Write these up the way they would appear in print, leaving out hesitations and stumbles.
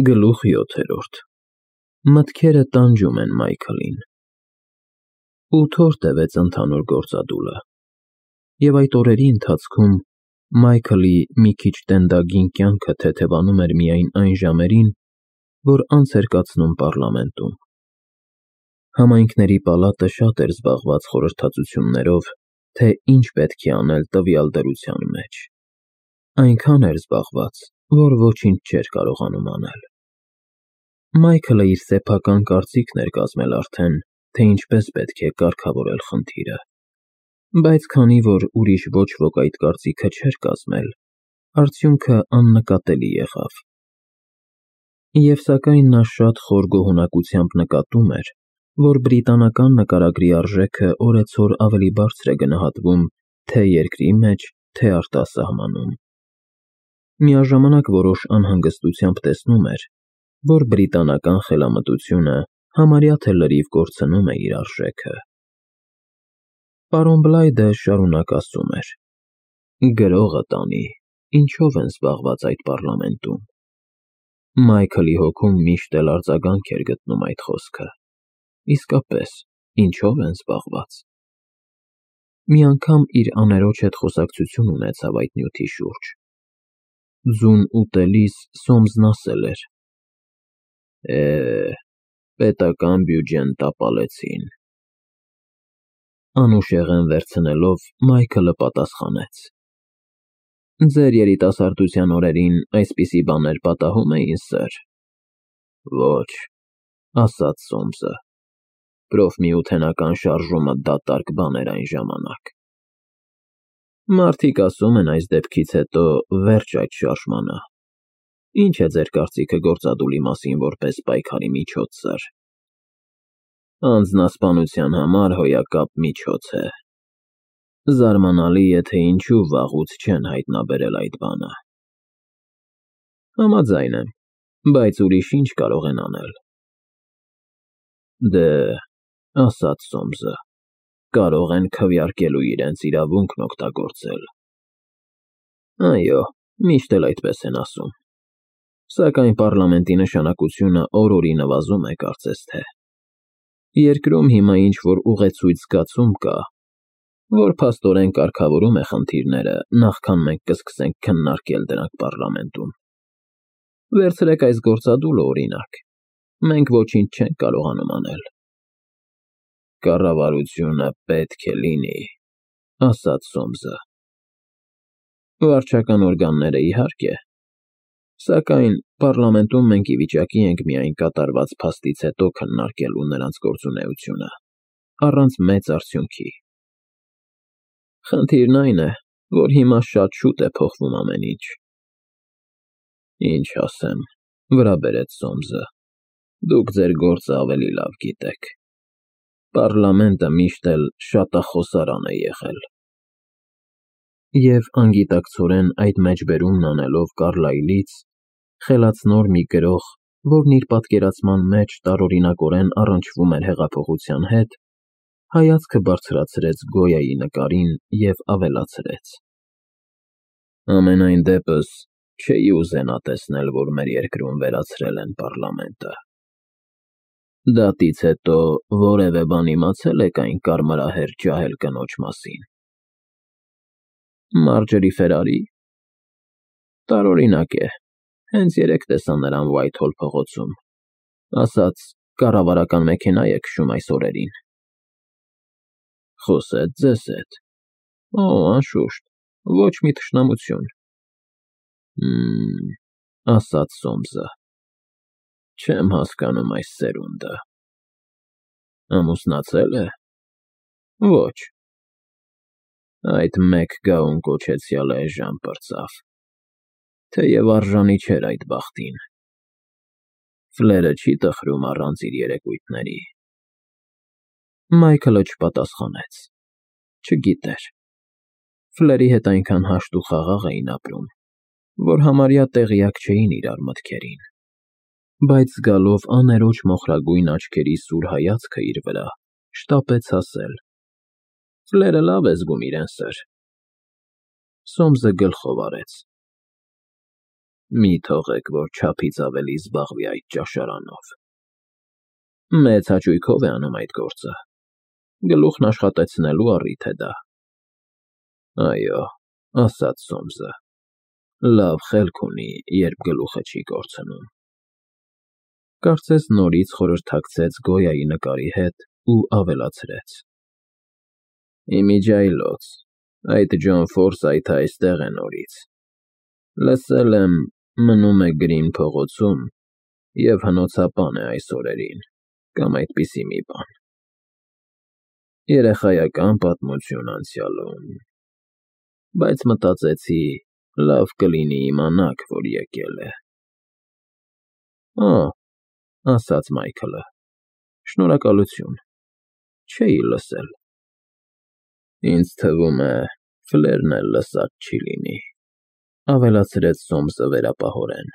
Գլուխ 7 Մտքերը տանջում են Մայքլին։ 8 օր տևեց ընդհանուր գործադուլը, և այդ օրերի ընթացքում Մայքլի մի քիչ տենդագին կյանքը թեթևանում էր միայն այն ժամերին, որ անց էր կացնում պառլամենտում։ Համայնքների պալատը շատ էր զբաղված խորհրդածություններով, թե ինչ պետք է անել տվյալ դրության մեջ, այնքան էր զբաղված, որ ոչինչ չէր կարողանում անել։ Մայքլը իր սեփական կարծիքն էր կազմել արդեն, թե ինչպես պետք է կարգավորել խնդիրը, բայց քանի որ ուրիշ ոչ ոք այդ կարծիքը չէր կազմել, արդյունքը աննկատելի եղավ։ Եվ սակայն նա շատ խոր գոհունակությամբ նկատում էր, որ բրիտանական նկարագրի արժեքը օրեցօր ավելի բարձր է գնահատվում թե երկրի մեջ, թե արտասահմանում։ Միաժամանակ որոշ անհանգստությամբ տեսնում էր, որ բրիտանական խելամտությունը համարյա թե լրիվ կորցնում է իր արժեքը։ Պարոն Բլայդը շարունակ ասում էր. «Գրողը տանի, ինչով են զբաղված այդ պառլամենտում»։ Մայքլի հոգում միշտ էլ արձագանք էր գտնում այդ խոսքը։ Իսկապես, ինչով են զբաղված։ Մի անգամ իր աներոջ հետ խոսակցություն ունեցավ այդ նյութի շուրջ։ Ձուն ուտելիս Սոմսն ասել էր. պետական բյուջեն տապալեցին։ Անուշեղեն վերցնելով Մայքլը պատասխանեց. Ձեր երիտասարդության օրերին այսպիսի բաներ պատահում էին, սըր։ Ոչ, ասաց Սոմսը, պրոֆմիութենական շարժումը դատարկ բան էր այն ժամանակ։ Մարդիկ ասում են այս դեպքից հետո վերջ այդ շարժմանը։ Ինչ է ձեր կարծիքը գործադուլի մասին որպես պայքարի միջոց, սըր։ Անձնասպանության համար հոյակապ միջոց է։ Զարմանալի է, թե ինչու վաղուց չեն հայտնաբերել այդ բանը։ Համաձայն եմ, բայց ուրիշ ինչ կարող են անել։ Դե, ասաց Սոմսը, կարող են քվեարկելու իրենց իրավունքն օգտագործել։ Այո, միշտ էլ այդպես են ասում։ Սակայն պառլամենտի նշանակությունը օր-օրի նվազում է, կարծես թե։ Երկրում հիմա ինչ-որ ուղեցույց զգացում կա, որ փաստորեն կարգավորում է խնդիրները, նախքան մենք կսկսենք քննարկել դրանք պառլամենտում։ Վերցրեք այս գործադուլը, օրինակ։ Մենք ոչինչ չենք կարողանում անել։ Կառավարությունը պետք է լինի, ասաց Սոմսը։ Վարչական օրգանները, իհարկե։ Սակայն պառլամենտում մենք ի վիճակի ենք միայն կատարված փաստից հետո քննարկելու նրանց գործունեությունը, առանց մեծ արդյունքի։ Խնդիրն այն է, որ հիմա շատ շուտ է փոխվում ամեն ինչ։ Ինչ ասեմ, վրա բերեց Սոմսը, դուք ձեր գործը ավելի լավ գիտեք։ Պառլամենտը միշտ էլ շատախոսարան է եղել։ Եվ անգիտակցորեն այդ մեջբերումն անելով Կարլայլից, խելացնոր մի գրող, որն իր պատկերացման մեջ տարօրինակորեն առնչվում էր հեղափոխության հետ, հայացքը բարձրացրեց Գոյայի նկարին և ավելացրեց. Համենայն դեպս, չէի ուզենա տեսնել, որ մեր երկրում վերացրել են պառլամենտը։ Դատից հետո որևէ բան իմացել եք այն կարմրահեր ջահել կնոջ մասին։ Մարջերի Ֆերարի։ Տարօրինակ է, հենց երեկ տեսա նրան Ուայթհոլ փողոցում, ասաց կառավարական մեքենա է քշում այս օրերին։ Խոսեց ձեզ հետ։ Օ, անշուշտ, ոչ մի թշնամություն։ Ասաց Սոմսը։ Չեմ հասկանում այս սերունդը։ Ամուսնացել է։ Ոչ։ Այդ մեկ գահուն կոչեցյալը էժան պրծավ, թեև արժանի չէր այդ բախտին։ Ֆլերը չի տխրում առանց իր երեկույթների։ Մայքլը չպատասխանեց։ Չգիտեր։ Ֆլերի հետ այնքան հաշտ ու խաղաղ էին ապրում, որ համարյա տեղյակ չէին իրար մտքերին, բայց զգալով աներոջ մոխրագույն աչքերի սուր հայացքը իր վրա, շտապեց ասել. Ֆլերը լավ է զգում իրեն, սըր։ Սոմսը գլխով արեց։ Մի թողեք, որ չափից ավելի զբաղվի այդ ճաշարանով։ Մեծ հաճույքով է անում այդ գործը։ Գլուխն աշխատեցնելու առիթ է դա։ Այո, ասաց Սոմսը, լավ խելք ունի, երբ գլուխը չի կորցնում։ Կարծես նորից խորհրդակցեց Գոյայի նկարի հետ ու ավելացրեց. Իմիջիայլոց, այդ Ջոն Ֆորսայթը այստեղ է նորից։ Լսել եմ, մնում է Գրին փողոցում և հնոցապան է այս օրերին, կամ այդպիսի մի բան։ Երեխայական պատմություն անցյալում, բայց մտածեցի, լավ կլինի իմանաք, որ եկել է։ Ա, ասաց Մայքլը, շնորհակալություն, չէի լսել։ Ինձ թվում է, Ֆլերն էլ լսած չի լինի, ավելացրեց Սոմսը վերապահորեն։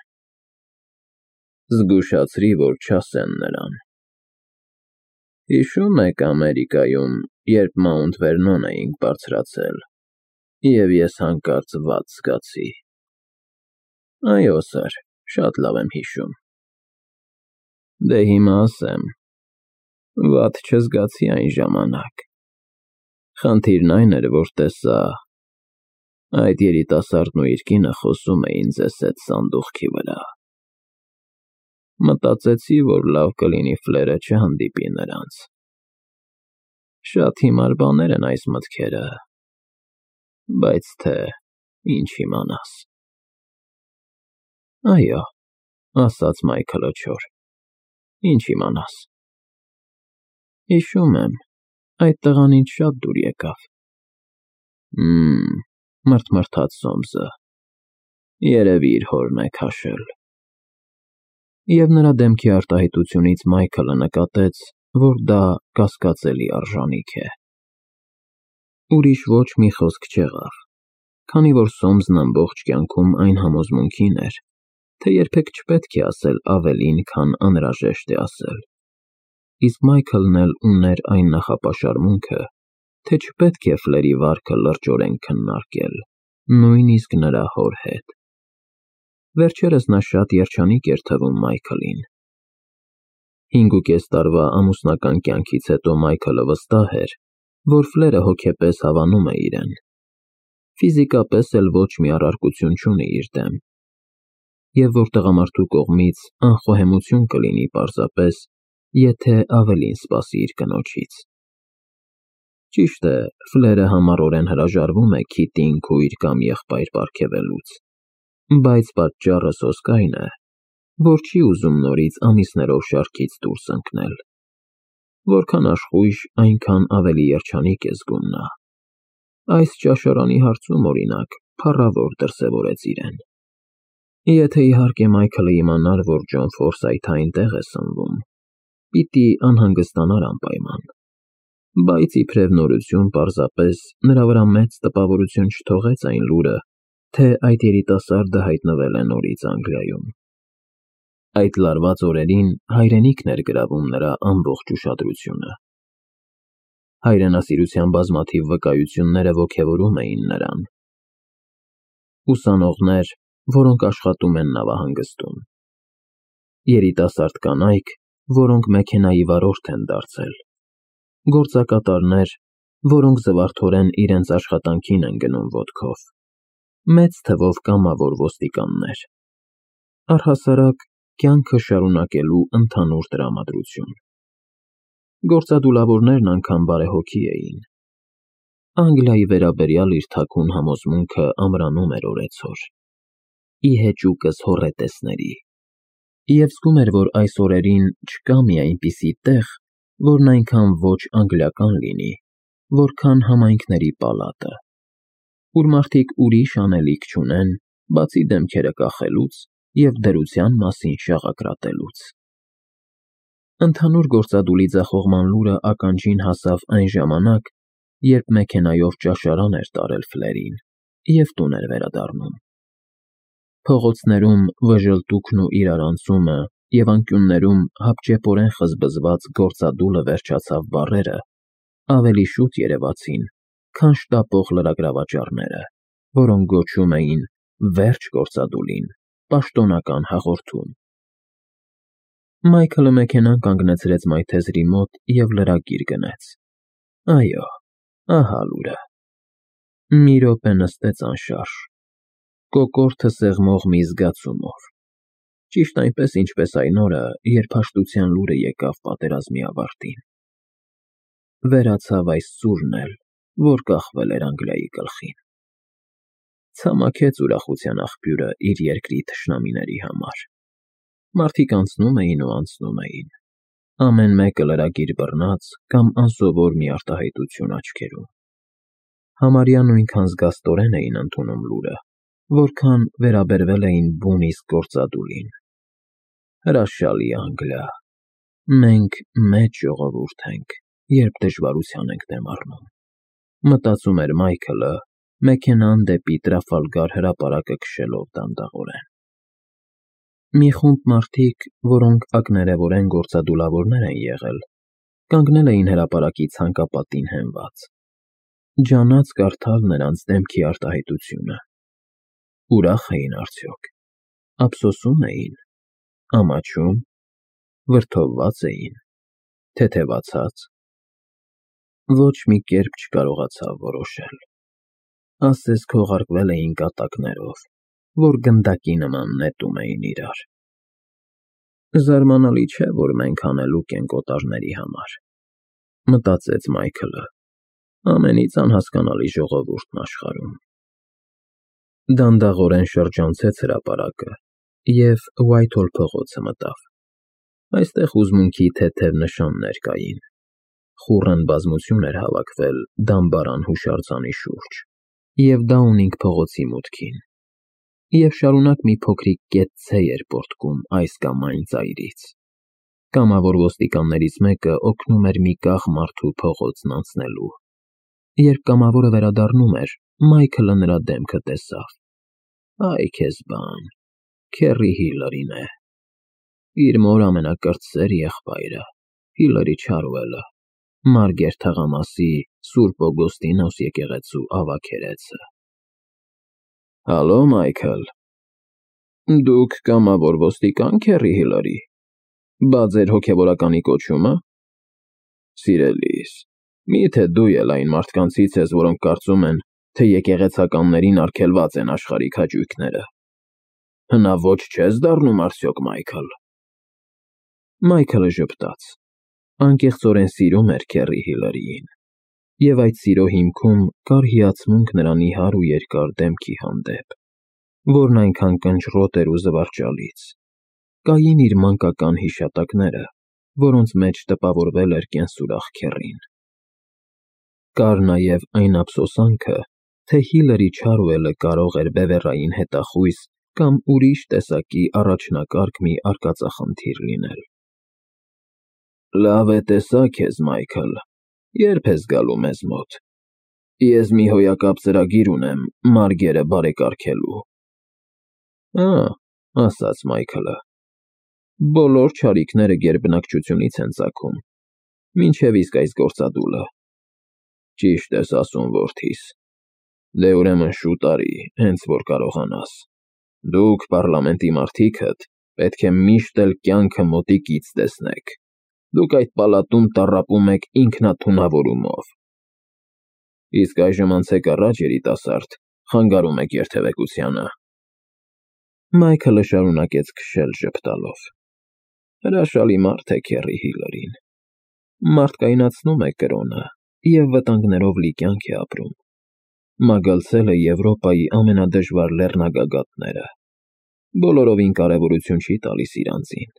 Զգուշացրի, որ չասեն նրան։ Հիշում եք Ամերիկայում, երբ Մաունտ Վերնոն էինք բարձրացել, և ես հանկարծ վատ զգացի։ Այո, սըր, շատ լավ եմ հիշում։ Դե հիմա ասեմ, վատ չզգացի այն ժամանակ։ Խնդիրն այն էր, որ տեսա, այդ երիտասարդն ու իր կինը խոսում էին ձեզ հետ սանդուղքի վրա։ Մտածեցի, որ լավ կլինի Ֆլերը չհանդիպի նրանց։ Շատ հիմար բաներ են այս մտքերը, բայց թե ինչ իմանաս։ Այո, ասաց Մայքլը չոր, ինչ իմանաս։ Հիշում եմ, այդ տղանից շատ դուր եկավ։ Մրթմրթաց Սոմսը, երևի իր հորն է քաշել։ Եվ նրա դեմքի արտահայտությունից Մայքլը նկատեց, որ դա կասկածելի արժանիք է։ Ուրիշ ոչ մի խոսք չեղավ, քանի որ Սոմսն ամբողջ կյանքում այն համոզմունքին էր, թե երբեք չպետք է ասել ավելին, քան անհրաժեշտ է ասել։ Իսկ Մայքլն էլ ուներ այն նախապաշարմունքը, թե չպետք է Ֆլերի վարքը լրջորեն քննարկել, նույնիսկ նրա հոր հետ։ Վերջերս նա շատ երջանիկ էր թվում Մայքլին։ 5.5 տարվա ամուսնական կյանքից հետո Մայքլը վստահ էր, որ Ֆլերը հոգեպես հավանում է իրեն։ Ֆիզիկապես էլ ոչ մի առարկություն չունի իր դեմ, և որ տղամարդու կողմից անխոհեմություն կլինի պարզապես, եթե ավելին սպասի իր կնոջից։ Ճիշտ է, Ֆլերը համառորեն հրաժարվում է Քիթին քույր կամ եղբայր պարգևելուց, բայց պատճառը սոսկ այն է, որ չի ուզում նորից ամիսներով շարքից դուրս ընկնել։ Որքան աշխույժ, այնքան ավելի երջանիկ է զգում նա։ Այս ճաշարանի հարցում, օրինակ, փառավոր դրսևորեց իրեն։ Եթե իհարկե Մայքլը իմանար, որ Ջոն Ֆորսայթը այնտեղ է սնվում, պիտի անհանգստանար անպայման։ Բայց իբրև նորություն պարզապես նրա վրա մեծ տպավորություն չթողեց այն լուրը, թե այդ երիտասարդը հայտնվել է նորից Անգլիայում։ Այդ լարված օրերին հայրենիքն էր գրավում նրա ամբողջ ուշադրությունը։ Հայրենասիրության բազմաթիվ վկայությունները ոգևորում էին նրան։ Ուսանողներ, որոնք աշխատում են նավահանգստում։ Երիտասարդ կանայք, որոնք մեքենայի վարորդ են դարձել։ Գործակատարներ, որոնք զվարթորեն իրենց աշխատանքին են գնում ոտքով։ Մեծ թվով կամավոր ոստիկաններ։ Առհասարակ, կյանքը շարունակելու ընդհանուր տրամադրություն։ Գործադուլավորներն անգամ բարեհոգի էին։ Անգլիայի վերաբերյալ իր թաքուն համոզմունքը ամրանում էր օրեցօր։ Ի հեճուկս հոռետեսների։ Եվ զգում էր, որ այս օրերին չկա մի այնպիսի տեղ, որն այնքան ոչ անգլիական լինի, որքան համայնքների պալատը, ուր մարդիկ ուրիշ անելիք չունեն, բացի դեմքերը կախելուց և դրության մասին շաղակրատելուց։ Ընդհանուր գործադուլի ձախողման լուրը ականջին հասավ այն ժամանակ, երբ մեքենայով ճաշարան էր տարել Ֆլերին և տուն էր վերադառնում։ Փողոցներում վժլտուքն ու իրարանցումը և անկյուններում հապճեպորեն խզբզված գործադուլը վերջացավ բառերը ավելի շուտ երևացին, քան շտապող լրագրավաճառները, որոնք գոչում էին «Վերջ գործադուլին», պաշտոնական հաղորդում։ Մայքլը մեքենան կանգնեցրեց մայթեզրի մոտ և լրագիր գնեց։ Այո, ահա լուրը։ Մի րոպե նստեց անշարժ, կոկորդը սեղմող մի զգացումով, ճիշտ այնպես, ինչպես այն օրը, երբ հաշտության լուրը եկավ պատերազմի ավարտին։ Վերացավ այս սուրն էլ, որ կախվել էր Անգլիայի գլխին։ Ցամաքեց ուրախության աղբյուրը իր երկրի թշնամիների համար։ Մարդիկ անցնում էին ու անցնում էին, ամեն մեկը լրագիր բռնած կամ անսովոր մի արտահայտություն աչքերում։ Համարյա նույնքան զգաստորեն էին ընդունում լուրը, որքան վերաբերվել էին բուն իսկ գործադուլին։ Հրաշալի Անգլիա, մենք մեծ ժողովուրդ ենք, երբ դժվարության ենք դեմ առնում, մտածում էր Մայքլը, մեքենան դեպի Տրաֆալգար հրապարակը քշելով դանդաղորեն։ Մի խումբ մարդիկ, որոնք ակներևորեն գործադուլավորներ են եղել, կանգնել էին հրապարակի ցանկապատին հենված։ Ջանաց կարդալ նրանց դեմքի արտահայտությունը։ Ուրախ էին արդյոք, ափսոսում էին, ամաչում, վրդովված էին, թեթևացած։ Ոչ մի կերպ չկարողացավ որոշել։ Ասես քողարկվել էին կատակներով, որ գնդակի նման նետում էին իրար։ Զարմանալի չէ, որ մենք հանելուկ ենք օտարների համար, մտածեց Մայքլը, ամենից անհասկանալի ժողովուրդն աշխարհում։ Դանդաղորեն շրջանցեց հրապարակը և Ուայթհոլ փողոցը մտավ։ Այստեղ հուզմունքի թեթև նշաններ կային։ Խուռն բազմություն էր հավաքվել դամբարան հուշարձանի շուրջ և Դաունինգ փողոցի մուտքին, և շարունակ մի փոքրիկ կեցցե էր պոռթկում այս կամ այն ծայրից։ Կամավոր ոստիկաններից մեկը օգնում էր մի կախ մարդու փողոցն անցնելու։ Երբ կամավորը վերադառնում էր, Մայքլը նրա դեմքը տեսավ։ Այ քեզ բան, Քերի Հիլարին է։ Իր մոր ամենակրտսեր եղբայրը, Հիլարի Չարուելը, Մարգեր թաղամասի Սուրբ Օգոստինոս եկեղեցու ավագերեցը։ Հալո, Մայքլ։ Դուք կամավոր ոստիկան, Քերի Հիլարի։ Բա ձեր հոգևորականի կոչումը։ Սիրելիս, միթե դու էլ այն մարդկանցից ես, որոնք կարծում են, թե եկեղեցականներին արգելված են աշխարհիկ հաճույքները։ Հնաոճ չես դառնում արդյոք, Մայքլ։ Մայքլը ժպտաց։ Անկեղծորեն սիրում էր Քերի Հիլարիին, և այդ սիրո հիմքում կար հիացմունք նրա նիհար ու երկար դեմքի հանդեպ, որն այնքան կնճռոտ էր ու զվարճալից։ Կային իր մանկական հիշատակները, որոնց մեջ տպավորվել էր կենսուրախ Քերին։ Կար նաև այն ափսոսանքը, թե Հիլարի Չարուելը կարող էր բևեռային հետախույզ կամ ուրիշ տեսակի առաջնակարգ մի արկածախնդիր լինել։ Լավ է տեսա քեզ, Մայքլ, երբ ես գալու մեզ մոտ։ Ես մի հոյակապ ծրագիր ունեմ Մարգերը բարեկարգելու։ Ասաց Մայքլը, բոլոր չարիքները գերբնակչությունից են ծագում, մինչև իսկ այս գործադուլը։ Ճիշտ ես ասում, որդիս։ Դե ուրեմն շուտ արի, հենց որ կարողանաս։ Դուք պառլամենտի մարդիկդ պետք է միշտ էլ կյանքը մոտիկից տեսնեք։ Դուք այդ պալատում տառապում եք ինքնաթունավորումով։ Իսկ այժմ անցեք առաջ, երիտասարդ, խանգարում եք երթևեկությանը։ Մայքլը շարունակեց քշել ժպտալով։ Հրաշալի մարդ է Քերի Հիլարին։ Մարդկայնացնում է կրոնը և վտանգներով լի կյանք է ապրում։ Մագլցել է Եվրոպայի ամենադժվար լեռնագագաթները։ Բոլորովին կարևորություն չի տալիս իր անձին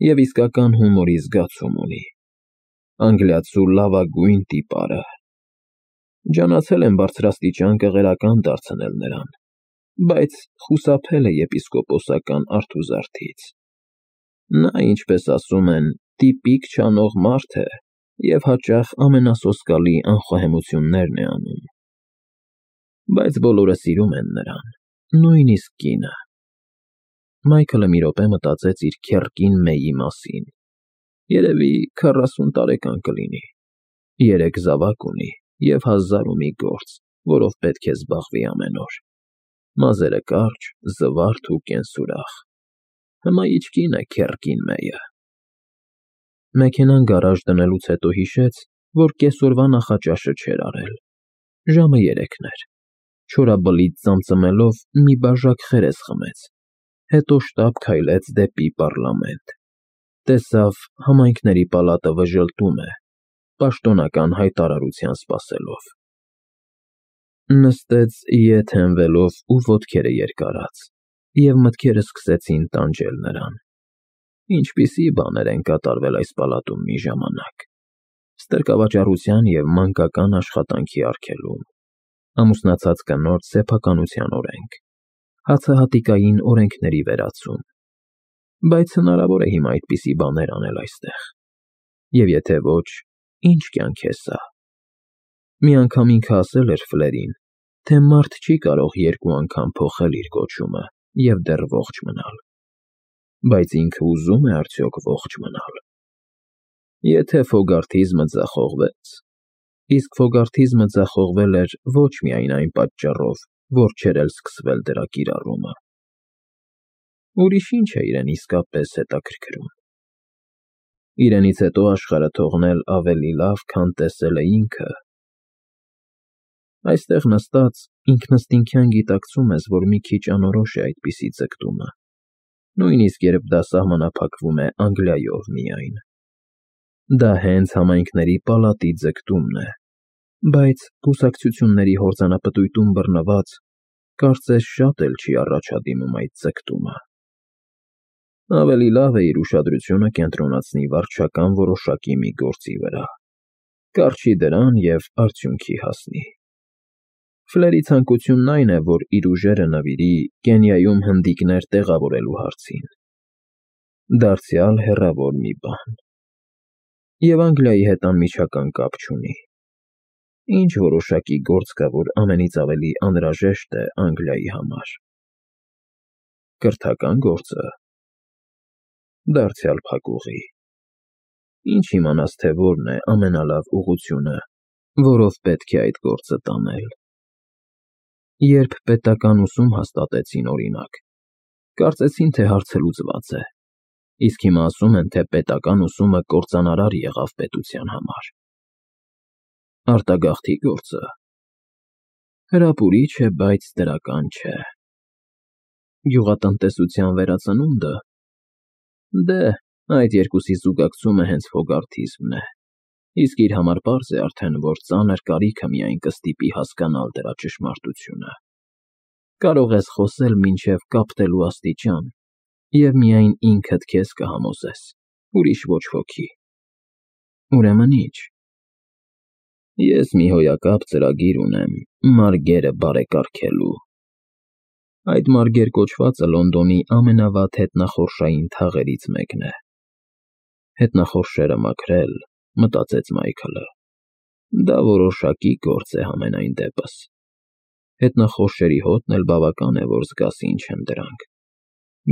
և իսկական հումորի զգացում ունի։ Անգլիացու լավագույն տիպարը։ Ջանացել եմ բարձրաստիճան կղերական դարձնել նրան, բայց խուսափել է եպիսկոպոսական արթուզարդից։ Նա, ինչպես ասում են, տիպիկ չանող մարդ է և հաճախ ամենասոսկալի անխոհեմություններն է անում։ Բայց բոլորը սիրում են նրան, նույնիսկ կինը։ Մայքլը մի րոպե մտածեց իր քեռկին Մեյի մասին։ Երևի 40 տարեկան կլինի։ 3 զավակ ունի և 1000 ու մի գործ, որով պետք է զբաղվի ամեն օր։ Մազերը կարճ, զվարթ ու կենսուրախ։ Հմայիչ կին է քեռկին մեյը։ Մեքենան գարաժ դնելուց հետո հիշեց, որ կեսօրվա նախաճաշը չէր արել։ Ժամը 3 էր։ Չորաբլիթ ծամծմելով մի բաժակ խերես խմեց, հետո շտապ քայլեց դեպի պառլամենտ։ Տեսավ համայնքների պալատը վժլտում է, պաշտոնական հայտարարության սպասելով։ Նստեց ետ հենվելով ու ոտքերը երկարած, և մտքերը սկսեցին տանջել նրան։ Ինչպիսի բաներ են կատարվել այս պալատում մի ժամանակ. ստրկավաճառության և մանկական աշխատանքի արգելում, ամուսնացած կնոջ սեփականության օրենք, հացահատիկային օրենքների վերացում, բայց հնարավոր է հիմա այդպիսի բաներ անել այստեղ։ Եվ եթե ոչ, ինչ կյանք է սա։ Մի անգամ ինքը ասել էր Ֆլերին, թե մարդ չի կարող 2 անգամ փոխել իր կոչումը և դեռ ողջ մնալ։ Բայց ինքը ուզում է արդյոք ողջ մնալ։ Եթե ֆոգարթիզմը ձախողվեց, իսկ ֆոգարթիզմը ձախողվել էր ոչ միայն այն պատճառով, որ չէր էլ սկսվել դրա կիրառումը, ուրիշ ինչ է իրեն իսկապես հետաքրքրում։ Իրենից հետո աշխարհը թողնել ավելի լավ, քան տեսել է ինքը։ Այստեղ նստած ինքնըստինքյան գիտակցում ես, որ մի քիչ անորոշ է այդպիսի ձգտումը, նույնիսկ երբ դա սահմանափակվում է Անգլիայով միայն։ Դա հենց համայնքների պալատի ձգտումն է, բայց կուսակցությունների հորձանապտույտում բռնված, կարծես շատ էլ չի առաջադիմում այդ ձգտումը։ Ավելի լավ է իր ուշադրությունը կենտրոնացնի վարչական որոշակի մի գործի վրա, կառչի դրան և արդյունքի հասնի։ Ֆլերի ցանկությունն այն է, որ իր ուժերը նվիրի Կենիայում հնդիկներ տեղավորելու հարցին։ Դարձյալ հեռավոր մի բան։ Եվ Անգլիայի հետ անմիջական կապ չունի։ Ինչ որոշակի գործ կա, որ ամենից ավելի անհրաժեշտ է Անգլիայի համար։ Կրթական գործը։ Դարձյալ փակուղի։ Ինչ իմանաս, թե որն է ամենալավ ուղղությունը, որով պետք է այդ գործը տանել։ Երբ պետական ուսում հաստատեցին, օրինակ, կարծեցին, թե հարցը լուծված է, իսկ հիմա ասում են, թե պետական ուսումը կործանարար եղավ պետության համար։ Արտագաղթի գործը հրապուրիչ է, բայց դրական չէ։ Գյուղատնտեսության վերածնունդը, դե, այդ երկուսի զուգակցումը հենց ֆոգարթիզմն է, իսկ իր համար պարզ է արդեն, որ ծանր կարիքը միայն կստիպի հասկանալ դրա ճշմարտությունը։ Կարող ես խոսել մինչև կապտելու աստիճան, և միայն ինքդ քեզ կհամոզես, ուրիշ ոչ ոքի։ Ուրեմն ի՞նչ։ Ես մի հոյակապ ծրագիր ունեմ մարգերը բարեկարգելու։ Այդ մարգեր կոչվածը Լոնդոնի ամենավատ հետնախորշային թաղերից մեկն է։ Հետնախորշերը մաքրել, մտածեց Մայքլը։ Դա որոշակի գործ է համենայն դեպս։ Հետնախորշերի հոտն էլ բավական է, որ զգաս ինչ են դրանք։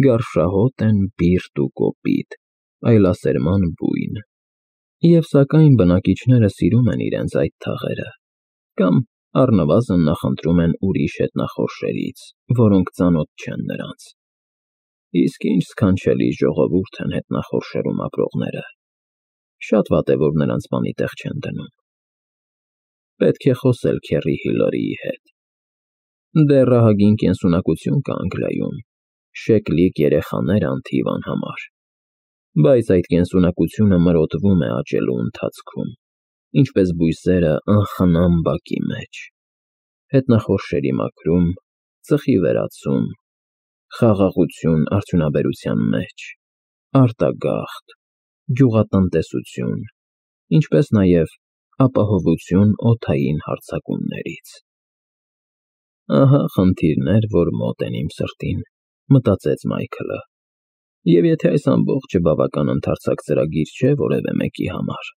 Գարշահոտ են, բիրտ ու կոպիտ, այլասերման բույն։ Եվ սակայն բնակիչները սիրում են իրենց այդ թաղերը, կամ առնվազն նախընտրում են ուրիշ հետնախորշերից, որոնք ծանոթ չեն նրանց։ Իսկ ինչ սքանչելի ժողովուրդ են հետնախորշերում ապրողները։ Շատ վատ է, որ նրանց բանի տեղ չեն դնում։ Պետք է խոսել Քերի Հիլարիի հետ։ Դեռ ահագին կենսունակություն կա Անգլիայում, շեկլիկ երեխաներ անթիվ անհամար։ Բայց այդ կենսունակությունը մրոտվում է աճելու ընթացքում, ինչպես բույսերը անխնամ բակի մեջ։ Հետնախորշերի մաքրում, ծխի վերացում, խաղաղություն արդյունաբերության մեջ, արտագաղթ, գյուղատնտեսություն, ինչպես նաև ապահովություն օդային հարձակումներից։ Ահա խնդիրներ, որ մոտ են իմ սրտին, մտածեց Մայքլը։ Եվ եթե այս ամբողջը բավական ընդարձակ ծրագիր չէ որևէ մեկի համար,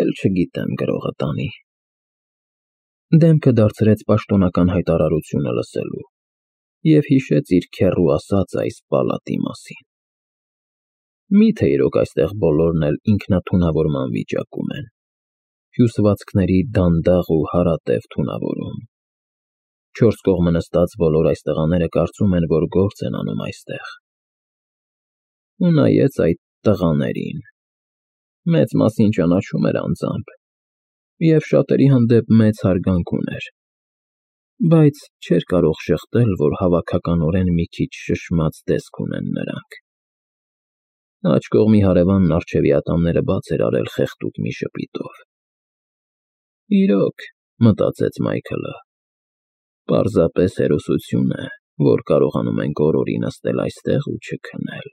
էլ չգիտեմ գրողը տանի։ Դեմքը դարձրեց պաշտոնական հայտարարությունը լսելու և հիշեց իր քեռու ասած այս պալատի մասին։ Մի՞թե իրոք այստեղ բոլորն էլ ինքնաթունավորման վիճակում են, հյուսվածքների դանդաղ ու հարատև թունավորում։ Չորս կողմը նստած բոլոր այս տղաները կարծում են, որ գործ են անում այստեղ։ Ու նայեց այդ տղաներին. մեծ մասին ճանաչում էր անձամբ և շատերի հանդեպ մեծ հարգանք ուներ, բայց չէր կարող շղթել, որ հավաքականորեն մի քիչ շշմած տեսք ունեն նրանք։ Աջ կողմի հարևանն առջևի ատամները բաց էր արել խեղդուկ մի ժպիտով։ Իրոք, մտածեց Մայքլը, պարզապես հերոսություն է, որ կարողանում ենք օրորի նստել այստեղ ու չքնել։